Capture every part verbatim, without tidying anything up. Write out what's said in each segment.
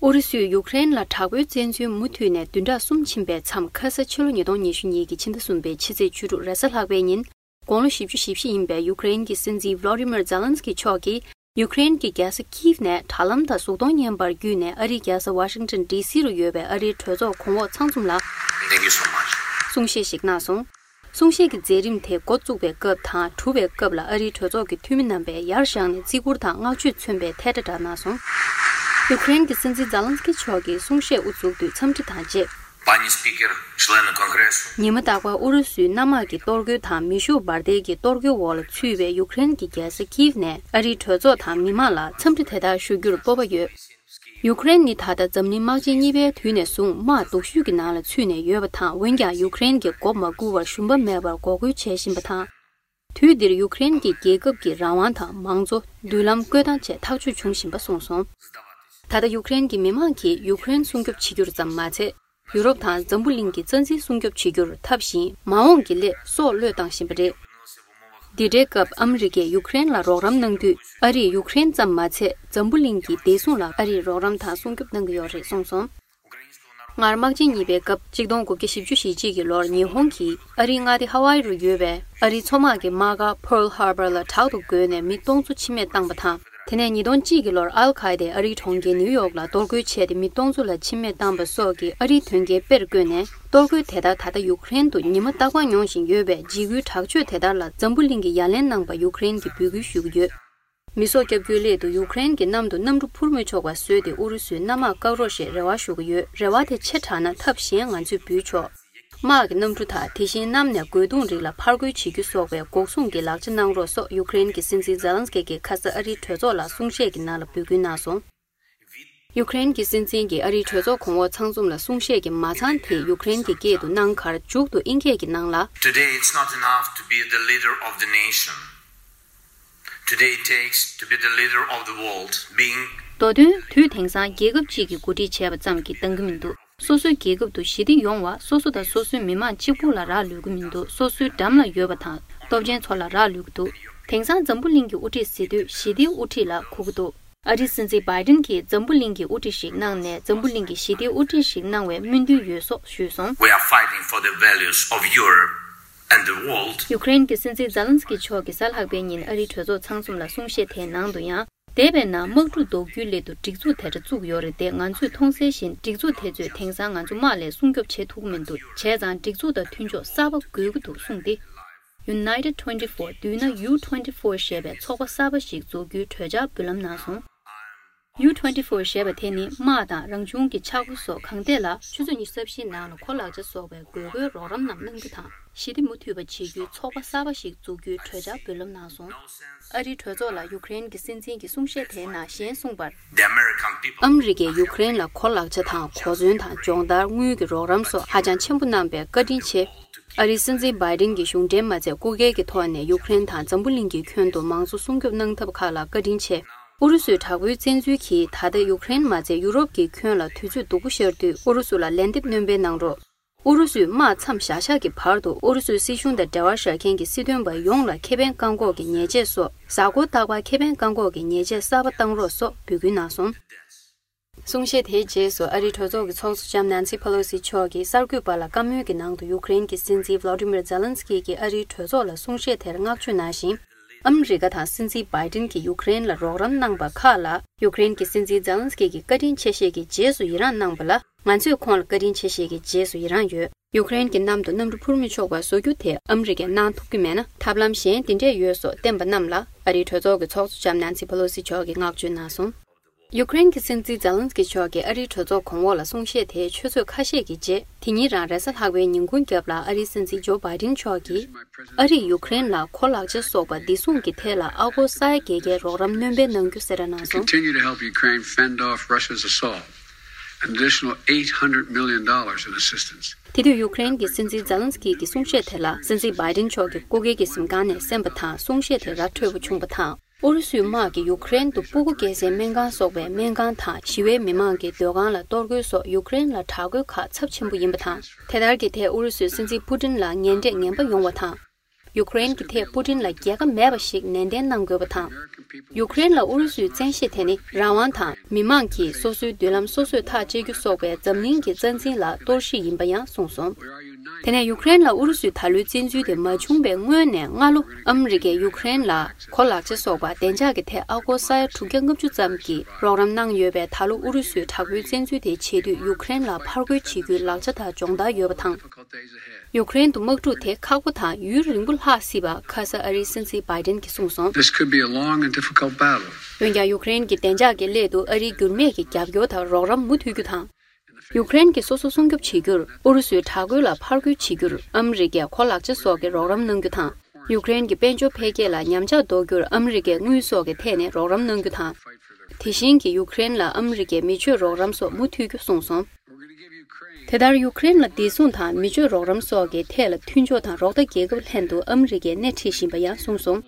ཨུ་རུ་སུས་ཡུཀ་རེན་ལ་དྲག་པོའི་བཙན་འཛུལ་མུ་མཐུད་ནས་བདུན་ཕྲག་གསུམ་ཕྱིན་པའི་མཚམས། ཁ་ས་ཕྱི་ལོ་ཉིས་སྟོང་ཉི་ཤུ་གཉིས་ཀྱི་ཕྱི་ཟླ་གསུམ་པའི་ཕྱི་ཚེས་བཅུ་དྲུག་རེས་གཟའ་ལྷག་པའི་ཉིན། དགུང་ལོ་བཞི་བཅུ་ཞེ་བཞི་ཡིན་པའི་ཡུཀ་རེན་གྱི་སྲིད་འཛིན་Volodymyr Zelensky་མཆོག་གིས། ཡུཀ་རེན་གྱི་རྒྱལ་ས་ཁིབ་ནས་དྲ་ལམ་དང་གཟུགས་མཐོང་བརྙན་པར་བརྒྱུད་ནས། ཨ་རིའི་རྒྱལ་ས་ཝ་ཤིང་ཏོན་ཌི་སི་རུ་ཡོད་པའི་ཨ་རིའི་གྲོས་ཚོགས་གོང་འོག་ཚང་འཛོམས་ལ། Thank you so much. གསུང་བཤད་ཞིག་གནང་སོང་། གསུང་བཤད་ཀྱི་མཛད་རིམ་དེ་འགོ་བཙུགས་པའི་སྐབས་དང་གྲུབ་པའི་སྐབས་ལ། ཨ་རིའི་གྲོས་ཚོགས་ཀྱི་འཐུས་མི་རྣམ་པས་ཡར་བཞེངས་ནས་བརྩི་བཀུར་དང་བསྔགས་བརྗོད་མཚོན་པའི་ཐལ་སྒྲ་བསྒྲགས་གནང་སོང་། ཡུཀ་རེན་གྱི་སྲིད་འཛིན་ཛེ་ལན་སི་ཀི་མཆོག་གིས་གསུང་བཤད་དབུ་འཛུགས་དུས་འཚམས་འདྲི་དང་བཅས། Pani Speaker, члены Конгресу. ཉི་མ་རྟག་པར་ཨུ་རུ་སུའི་གནམ་དམག་གི་གཏོར་རྒོལ་དང་མེ་ཤུགས་འབར་མདེལ་གྱི་གཏོར་རྒོལ་འོག་ལ་ཚུད་པའི་ཡུཀ་རེན་གྱི་རྒྱལ་ས་ཀིབ་ནས་ཨ་རིའི་གྲོས་ཚོགས་དང་མི་མང་ལ་འཚམས་འདྲི་དེ་ལྟར་ཞུ་རྒྱུར་སྤོབས་པ་ཡོད། ཡུཀ་རེན་ནི་ད་ལྟ་འཛམ་གླིང་དམག་ཆེན་གཉིས་པའི་དུས་ནས་བཟུང་དམག་སྡུག་ཤོས་ཀྱི་ནང་ལ་ཚུད་ནས་ཡོད་པ་དང་། འོན་ཀྱང་ཡུཀ་རེན་གྱིས་མགོ་མ་སྒུར་བར་ཞུམ་པ་མེད་པར་འགོག་རྒོལ་བྱེད་བཞིན་པ་དང་། དུས་འདིར་ཡུཀ་རེན་གྱི་རྒྱལ་ཁབ་ཀྱི་རང་དབང་དང་མང་གཙོ། མདུན་ལམ་བཀོད་སྟངས་བཅས་ཐག་གཅོད་བྱུང་བཞིན་པ་གསུངས་སོང་། ད་ལྟ་ཡུཀ་རེན་གྱི་མི་མང་གིས་ཡུཀ་རེན་སྲུང་སྐྱོབ་བྱེད་རྒྱུར་ཙམ་མ་ཚད། ཡུ་རོབ་དང་འཛམ་བུ་གླིང་གི་རྩ་འཛིན་སྲུང་སྐྱོབ་བྱེད་རྒྱུར་ཐབས་བཞིན་མ་འོངས་ཀྱི་སླད་སྲོག་བློས་བཏང་བཞིན་པ་རེད། འདི་འདྲའི་སྐབས་ཨ་མི་རི་ཀས་ཡུཀ་རེན་ལ་རོགས་རམ་གནང་དུས། ཨ་རིས་ཡུཀ་རེན་ཙམ་མ་ཚད་འཛམ་བུ་གླིང་གི་བདེ་སྲུང་ལ་ཨ་རིས་རོགས་རམ་དང་སྲུང་སྐྱོབ་གནང་གི་ཡོད་རེད་གསུངས་སོང་། སྔར་དམག་ཆེན་གཉིས་པའི་སྐབས་གཅིག་སྟོང་དགུ་བརྒྱ་བཞི་བཅུ་ཞེ་གཅིག་གི་ལོར་ཉི་ཧོང་གིས་ཨ་རིའི་མངའ་སྡེ་ཧ་ཝའི་རུ་ཡོད་པའི་ཨ་རིའི་མཚོ་དམག་གི་དམག་སྒར་Pearl Harbor་ལ་དྲག་ཏུ་རྒོལ་ནས་མི་སྟོང་ཚོ་འཆི་རྨས་བཏང་བ་དང་། དེ་ནས་ཉིས་སྟོང་གཅིག་གི་ལོར་ཨལ་ཁ་ཨེ་དེས་ཨ་རིའི་གྲོང་ཁྱེར་ནིའུ་ཡོག་ལ་གཏོར་རྒོལ་བྱས་ཏེ་མི་སྟོང་ཚོ་ལ་འཆི་རྨས་བཏང་བ་སོགས་ཀྱིས་ཨ་རིའི་དོན་རྐྱེན་དཔེར་བཀོད་ནས། གཏོར་རྒོལ་དེ་ལྟར་ད་ལྟ་ཡུཀ་རེན་དུ་ཉི་མ་རྟག་པར་མྱོང་བཞིན་ཡོད་པས། འཇིགས་སྐུལ་དྲག་སྤྱོད་དེ་ལྟར་ལ་འཛམ་བུ་གླིང་གིས་ཡ་ལན་གནང་བར་ཡུཀ་རེན་གྱིས་འབོད་སྐུལ་ཞུ་གི་ཡོད། མི་སྲོག་བསྐྱབ་རྒྱུའི་སླད་དུ་ཡུཀ་རེན་གྱི་གནམ་དུ་གནམ་གྲུ་འཕུར་མི་ཆོག་པ་བཟོས་ཏེ། ཨུ་རུ་སུའི་གནམ་དམག་བཀག་རོགས་ཞེས་རེ་བ་ཞུ་གི་ཡོད། རེ་བ་དེ་ཆེ་དྲགས་ན་ཐབས་གཞན་ང་ཚོས་འབུལ་ཆོག། དམག་གི་གནམ་གྲུ་དང་། དེ་བཞིན་གནམ་ནས་རྒོལ་རྡུང་རིགས་ལ་ཕར་རྒོལ་བྱེད་རྒྱུ་སོགས་པའི་འགོག་སྲུང་གི་ལག་ཆ་གནང་རོགས་སོགས་ཡུཀ་རེན་གྱི་སྲིད་འཛིན་ཛེ་ལན་སི་ཀི་གིས་ཁ་ས་ཨ་རིའི་གྲོས་ཚོགས་ལ་གསུང་བཤད་ཀྱི་ནང་ལ་འབོད་སྐུལ་གནང་སོང་། ཡུཀ་རེན་གྱི་སྲིད་འཛིན་གྱིས་ཨ་རིའི་གྲོས་ཚོགས་གོང་འོག་ཚང་འཛོམས་ལ་གསུང་བཤད་ཀྱི་མ་ཚང་དེ་ཡུཀ་རེན་གྱི་སྐད་དུ་གནང་ཁར། མཇུག་ཏུ་དབྱིན་སྐད་ཀྱི་ནང་ལ། Today it's not enough to be the leader of the nation. Today it takes to be the leader of the world, being མདོ་དོན། དུས་དེང་སང་རྒྱལ་ཁབ་ཅིག་གི་འགོ་ཁྲིད་བྱས་པ་ཙམ་གྱིས་འདང་གི་མི་འདུག། སོ་སོའི་རྒྱལ་ཁབ་ཏུ་ཞི་བདེ་ཡོང་བ། སོ་སོ་དང་སོ་སོའི་མི་མང་གཅིག་པུ་ལ་རག་ལུས་ཀྱི་མི་འདུག། སོ་སོའི་འགྲམ་ལ་ཡོད་པ་དང་སྟོབས་ཆེན་ཚོ་ལ་རག་ལུས་ཀྱི་འདུག། དེང་སང་འཛམ་བུ་གླིང་གི་དབུ་ཁྲིད་ཟེར་དུས་ཞི་བདེའི་དབུ་ཁྲིད་ལ་གོ་གི་འདུག། ཨ་རིའི་སྲིད་འཛིན་བྷའི་ཏིན་གྱིས་འཛམ་བུ་གླིང་གི་དབུ་ཁྲིད་ཞིག་གནང་ནས། འཛམ་བུ་གླིང་གི་ཞི་བདེའི་དབུ་ཁྲིད་ཞིག་གནང་བའི་སྨོན་འདུན་ཡོད་སོགས་ཞུས་སོང་། We are fighting for the values of Europe and the world. ཡུཀ་རེན་གྱི་སྲིད་འཛིན་ཛེ་ལན་སི་ཀི་མཆོག་གིས་གཟའ་ལྷག་པའི་ཉིན་ཨ་རིའི་གྲོས་ཚོགས་ཚང་འཛོམས་ལ་གསུང་བཤད་དེའི་ནང་དུ་ཡང་། འདས་པའི་ནང་དམག་འཁྲུག་ཟློག་རྒྱུའི་སླད་དུ་སྒྲིག་འཛུགས་དེ་འདྲ་བཙུགས་ཡོད་རེད་དེ། ང་ཚོས་མཐོང་གསལ་བཞིན་སྒྲིག་འཛུགས་དེ་ཚོས་དེང་སང་ང་ཚོ་དམག་ལས་སྲུང་སྐྱོབ་བྱེད་ཐུབ་ཀྱི་མི་འདུག། བྱས་ཙང་སྒྲིག་འཛུགས་དང་མཐུན་ཕྱོགས་གསར་པ་དགོས་ཀྱི་འདུག་གསུངས་ཏེ། United twenty-four བསྡུས་ན་U twenty-four ཞེས་པའི་ཚོགས་པ་གསར་པ་ཞིག་འཛུགས་རྒྱུའི་གྲོས་འཆར་འབུལ་ལམ་གནང་སོང་། U twenty-four ཞེས་པ་དེ་ནི་དམག་དང་རང་བྱུང་གི་ཆག་སྒོ་སོགས་གང་ཐད་ལ། ཆུ་ཚོད་ཉི་ཤུ་རྩ་བཞིའི་ནང་ལ་གོ་ལག་ཆ་སོགས་པའི་དགོས་མཁོའི་རོགས་རམ་རྣམས་གནང་རྒྱུ་དང་། ཞི་བདེ་མུ་མཐུད་པ་བྱེད་རྒྱུའི་ཚོགས་པ་གསར་པ་ཞིག་འཛུགས་རྒྱུའི་གྲོས་འཆར་འབུལ་ལམ་གནང་སོང་། ཨ་རིའི་གྲོས་ཚོགས་ལ་ཡུཀ་རེན་གྱི་སྲིད་འཛིན་གྱི་གསུང་བཤད་དེའི་ནང་གཞན་གསུངས་པར། The American people ཨ་མི་རི་ཀས་ཡུཀ་རེན་ལ་གོ་ལག་ཆ་དང་གོ་མཚོན་དང་སྦྱོང་བརྡར། དངུལ་གྱི་རོགས་རམ་སོགས་ཧ་ཅང་ཆེན་པོ་གནང་བས་བཀའ་དྲིན་ཆེ། ཨ་རིའི་སྲིད་འཛིན་བྷའི་ཏིན་གྱིས་གཞུང་འབྲེལ་མ་མཛད་སྐུ་སྒེར་གྱི་ཐོག་ནས་ཡུཀ་རེན་དང་འཛམ་བུ་གླིང་གི་ཁྱོན་དུ་མང་གཙོ་སྲུང་སྐྱོབ་གནང་ཐབས་ཁག་ལ་བཀའ་དྲིན་ཆེ། ཨུ་རུ་སུའི་དྲག་པོའི་བཙན་འཛུལ་གྱིས་ད་ལྟ་ཡུཀ་རེན་མ་ཚད་ཡུ་རོབ་ཀྱི་ཁྱོན་ལ་དུས་ཚོད་སྡུག་པོ་ཤར་དུས། ཨུ་རུ་སུ་ལ་ལན་འདེབས་སྣོན་སྤེལ་གནང་རོགས། ཨུ་རུ་སུས་དམག་མཚམས་བཞག་བཞག་གི་བར་དུ་ཨུ་རུ་སུའི་སྲིད་གཞུང་དང་འབྲེལ་བ་བཞག་མཁན་གྱི་སྲིད་དོན་པ་ཡོངས་ལ་ཁེ་ཕན་བཀག་འགོག་གི་ཉེས་ཆད་སོགས་གཟའ་འཁོར་རྟག་པར་ཁེ་ཕན་བཀག་འགོག་གི་ཉེས་ཆད་གསར་པ་བཏང་རོགས་སོགས་འབོད་སྐུལ་གནང་སོང་། གསུང་བཤད་དེའི་རྗེས་སུ་ཨ་རིའི་གྲོས་ཚོགས་ཀྱི་ཚོགས་གཙོ་ལྕམ་ནན་སི་ཕེ་ལོ་སི་མཆོག་གིས་གསར་འགོད་པ་ལ་བཀའ་མོལ་གྱི་ནང་དུ། ཡུཀ་རེན་གྱི་སྲིད་འཛིན་Volodymyr Zelensky་གྱིས་ཨ་རིའི་གྲོས་ཚོགས་ལ་གསུང་བཤད་དེར་བསྔགས་བརྗོད་གནང་ཞིང་། ཨ་མི་རི་ཀ་དང་སྲིད་འཛིན་བྷའི་ཏིན་གྱིས་ཡུཀ་རེན་ལ་རོགས་རམ་གནང་པ་ཁག་ལ། ཡུཀ་རེན་གྱི་སྲིད་འཛིན་ཛེ་ལན་སི་ཀི་གིས་བཀའ་དྲིན་ཆེ་བཤད་ཀྱི་རྗེས་སུ་ཡི་རངས་གནང་པ་ལ། ང་ཚོས་ཁོང་ལ་བཀའ་དྲིན་ཆེ་བཤད་ཀྱི་རྗེས་སུ་ཡི་རངས་ཡོད། ཡུཀ་རེན་གྱི་གནམ་དུ་གནམ་གྲུ་འཕུར་མི་ཆོག་པ་བཟོ་རྒྱུ་དེ་ཨ་མི་རི་ཀས་གནང་ཐུབ་ཀྱི་མེད་ན། ཐབས་ལམ་གཞན་དེ་འདྲས་ཡོད་སོགས་བསྟན་པ་རྣམས་ལ། ཨ་རིའི་གྲོས་ཚོགས་ཀྱི་ཚོགས་གཙོ་ལྕམ་ནན་སི་ཕེ་ལོ་སི་མཆོག་གིས་བསྔགས་བརྗོད་གནང་སོང་། ཡུཀ་རེན་གྱི་སྲིད་འཛིན་ཛེ་ལན་སི་ཀི་མཆོག་གིས་ཨ་རིའི་གྲོས་ཚོགས་གོང་འོག་ལ་གསུང་བཤད་དེའི་ཆུ་ཚོད་ཁ་ཤས་ཀྱི་རྗེས། དེ་ཉིན་རང་རེས་གཟའ་ལྷག་པའི་ཉིན་གུང་རྒྱབ་ལ་ཨ་རིའི་སྲིད་འཛིན་ཇོ་བྷའི་ཏིན་མཆོག་གིས། ཨ་རིས་ཡུཀ་རེན་ལ་གོ་ལག་ཆ་སོགས་པ་བདེ་སྲུང་གི་ཐད་ལ་ཨ་སྒོར་ས་ཡ་བརྒྱད་བརྒྱའི་རོགས་རམ་སྣོན་སྤེལ་གནང་རྒྱུ་གསལ་བསྒྲགས་གནང་སོང་། Continue to help Ukraine fend off Russia's assault, an additional eight hundred million dollars in assistance. དེ་དུས་ཡུཀ་རེན་གྱི་སྲིད་འཛིན་ཛེ་ལན་སི་ཀི་གི་གསུང་བཤད་དེ་ལ་སྲིད་འཛིན་བྷའི་ཏིན་མཆོག་གིས་སྐུ་སྒེར་གྱི་གཟིམ་ཁང་ནས་གསན་པ་དང་། གསུང་བཤད་དེ་ར་འཕྲོད་པོ་བྱུང་བ་དང་། ཨུ་རུ་སུའི་དམག་གིས་ཡུཀ་རེན་དུ་སྤུ་གུ་སྐྱེ་སའི་སྨན་ཁང་སོགས་པའི་སྨན་ཁང་དང་ཞི་བའི་མི་མང་གི་སྡོད་ཁང་ལ་གཏོར་རྒོལ་སོགས་ཡུཀ་རེན་ལ་དྲག་རྒོལ་ཁག་ཚབས་ཆེན་པོ་ཡིན་པ་དང་། དེ་ལྟར་གྱི་ཐད་ཨུ་རུ་སུའི་སྲིད་འཛིན་ཕུ་ཏིན་ལ་ངན་འབྲས་ངན་པ་ཡོང་བ་དང་། ཡུ་ཀེ་རེན་གྱི་ཐད་པུ་ཏིན་ལ་རྒྱལ་ཁ་མེད་པ་ཞིག་ནན་ཏན་གནང་དགོས་པ་དང་། ཡུ་ཀེ་རེན་ལ་ཨུ་རུ་སུའི་བཙན་ཤེད་དེ་ནི་རང་དབང་དང་མི་མང་གིས་སོ་སོའི་མདུན་ལམ་སོ་སོས་ཐག་གཅད་རྒྱུ་སོགས་པའི་འཛམ་གླིང་གི་རྩ་འཛིན་ལ་གཏོར་བཤིག་ཡིན་པ་ཡང་གསུངས་སོང་། དེ་ནས་ཡུ་ཀེ་རེན་ལ་ཨུ་རུ་སུའི་ད་ལོའི་བཙན་འཛུལ་དེ་མ་བྱུང་བའི་སྔོན་ནས་སྔ་ལོ་ཨ་མི་རི་ཀས་ཡུ་ཀེ་རེན་ལ་གོ་ལག་ཆ་སོགས་པ་བདེ་འཇགས་ཀྱི་ཐད་ཨ་སྒོར་ས་ཡ་དྲུག་བརྒྱ་ལྔ་བཅུ་ཙམ་གྱི་རོགས་རམ་གནང་ཡོད་པས། ད་ལོ་ཨུ་རུ་སུའི་དྲག་པོའི་བཙན་འཛུལ་དེ་བྱེད་དུས་ཡུ་ཀེ་རེན་ལ་ཕར་རྒོལ་བྱེད་རྒྱུའི་ལག་ཆ་དང་སྦྱོང་བརྡར་ཡོད་པ་དང་། ཡུ་ཀེ་རེན་དུ་དམག་འཁྲུག་དེ་ཁག་པོ་དང་ཡུན་རིང་པོ་ལྷག་སྲིད་པ་ཁ་ས་ཨ་རིའི་སྲིད་འཛིན་བྷའི་ཏིན་གྱིས་གསུངས་སོང་། This could be a long and difficult battle. འོན་ཀྱང་ཡུ་ཀེ་རེན་གྱི་བདེ་འཇགས་ཀྱི་སླད་དུ་ཨ་རིའི་འགྱུར་མེད་ཀྱི་རྒྱབ་སྐྱོར་དང་རོགས་རམ་མུ་མཐུད་རྒྱུ་དང་། ཡུ་ཀེ་རེན་གྱིས་སོ་སོ་སྲུང་སྐྱོབ་བྱེད་རྒྱུར་ཨུ་རུ་སུའི་དྲག་རྒོལ་ལ་ཕར་རྒོལ་བྱེད་རྒྱུར་ཨ་མི་རི་ཀས་གོ་ལག་ཆ་སོགས་ཀྱི་རོགས་རམ་གནང་རྒྱུ་དང་། ཡུ་ཀེ་རེན་གྱི་དཔལ་འབྱོར་འཕེལ་རྒྱས་ལ་ཉམས་ཆག་འདོགས་རྒྱུར་ཨ་མི་རི་ཀས་དངུལ་སོགས་ཀྱི་ཐད་ནས་རོགས་རམ་གནང་རྒྱུ་དང་། དེ་བཞིན་གྱི་ཡུ་ཀེ་རེན་ལ་ཨ་མི་རི་ཀས་མི་ཆོས་རོགས་རམ་སོགས་མུ་མཐུད་རྒྱུ་གསུངས་སོང་། དེ་ལྟར་ཡུ་ཀེ་རེན་ལ་བདེ་སྲུང་དང་མི་ཆོས་རོགས་རམ་སོགས་ཀྱི་ཐད་ལ་མཐུན་ཕྱོགས་དང་རོགས་ཟླ་རྒྱལ་ཁབ་ལྷན་དུ་ཨ་མི་རི་ཀས་སྣེ་ཁྲིད་བཞིན་པ་ཡང་གསུངས་སོང་།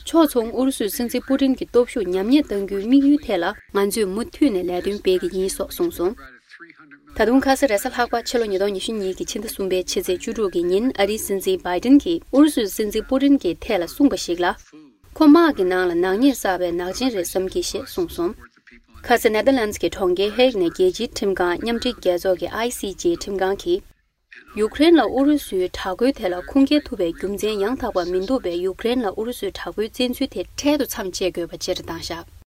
ཕྱོགས་མཚུངས་ཨུ་རུ་སུའི་སྲིད་འཛིན་པུ་ཏིན་གྱི་སྟོབས་ཤུགས་ཉམས་ཉེས་གཏང་རྒྱུའི་དམིགས་ཡུལ་ཐད་ལ་ང་ཚོས་མུ་མཐུད་ནས་ལས་དོན་སྤེལ་གྱི་ཡིན་སོགས་གསུངས་སོང་། ད་དུང་ཁ་ས་རེས་གཟའ་ལྷག་པ་ཕྱི་ལོ་ཉིས་སྟོང་ཉི་ཤུ་གཉིས་ཀྱི་ཕྱི་ཟླ་གསུམ་པའི་ཕྱི་ཚེས་བཅུ་དྲུག་གི་ཉིན་ཨ་རིའི་སྲིད་འཛིན་བྷའི་ཏིན་གྱིས་ཨུ་རུ་སུའི་སྲིད་འཛིན་པུ་ཏིན་གྱི་ཐད་ལ་གསུངས་པ་ཞིག་ལ། ཁོ་དམག་གི་ནང་ལ་ནག་ཉེས་བསགས་པའི་ནག་ཅན་རེད་བསམ་གྱི་ཞེས་གསུངས་སོང་། ཁ་ས་ནེ་དར་ལན་ཌི་གི་གྲོང་ཁྱེར་ཧེག་ནས་རྒྱལ་སྤྱིའི་ཁྲིམས་ཁང་མཉམ་འབྲེལ་རྒྱལ་ཚོགས་ཀྱི་ཨའི་སི་ཇེ་ཁྲིམས་ཁང་གིས། ཡུ་ཀེ་རེན་ལ་ཨུ་རུ་སུའི་དྲག་རྒོལ་དེ་ལ་ཁུངས་སྐྱེལ་ཐུབ་པའི་རྒྱུ་མཚན་ཡང་དག་པ་མི་འདུག་པས། ཡུ་ཀེ་རེན་ལ་ཨུ་རུ་སུའི་དྲག་པོའི་བཙན་འཛུལ་དེ་འཕྲལ་དུ་མཚམས་གཅད་དགོས་པ་བཅས་བཏང་བཞག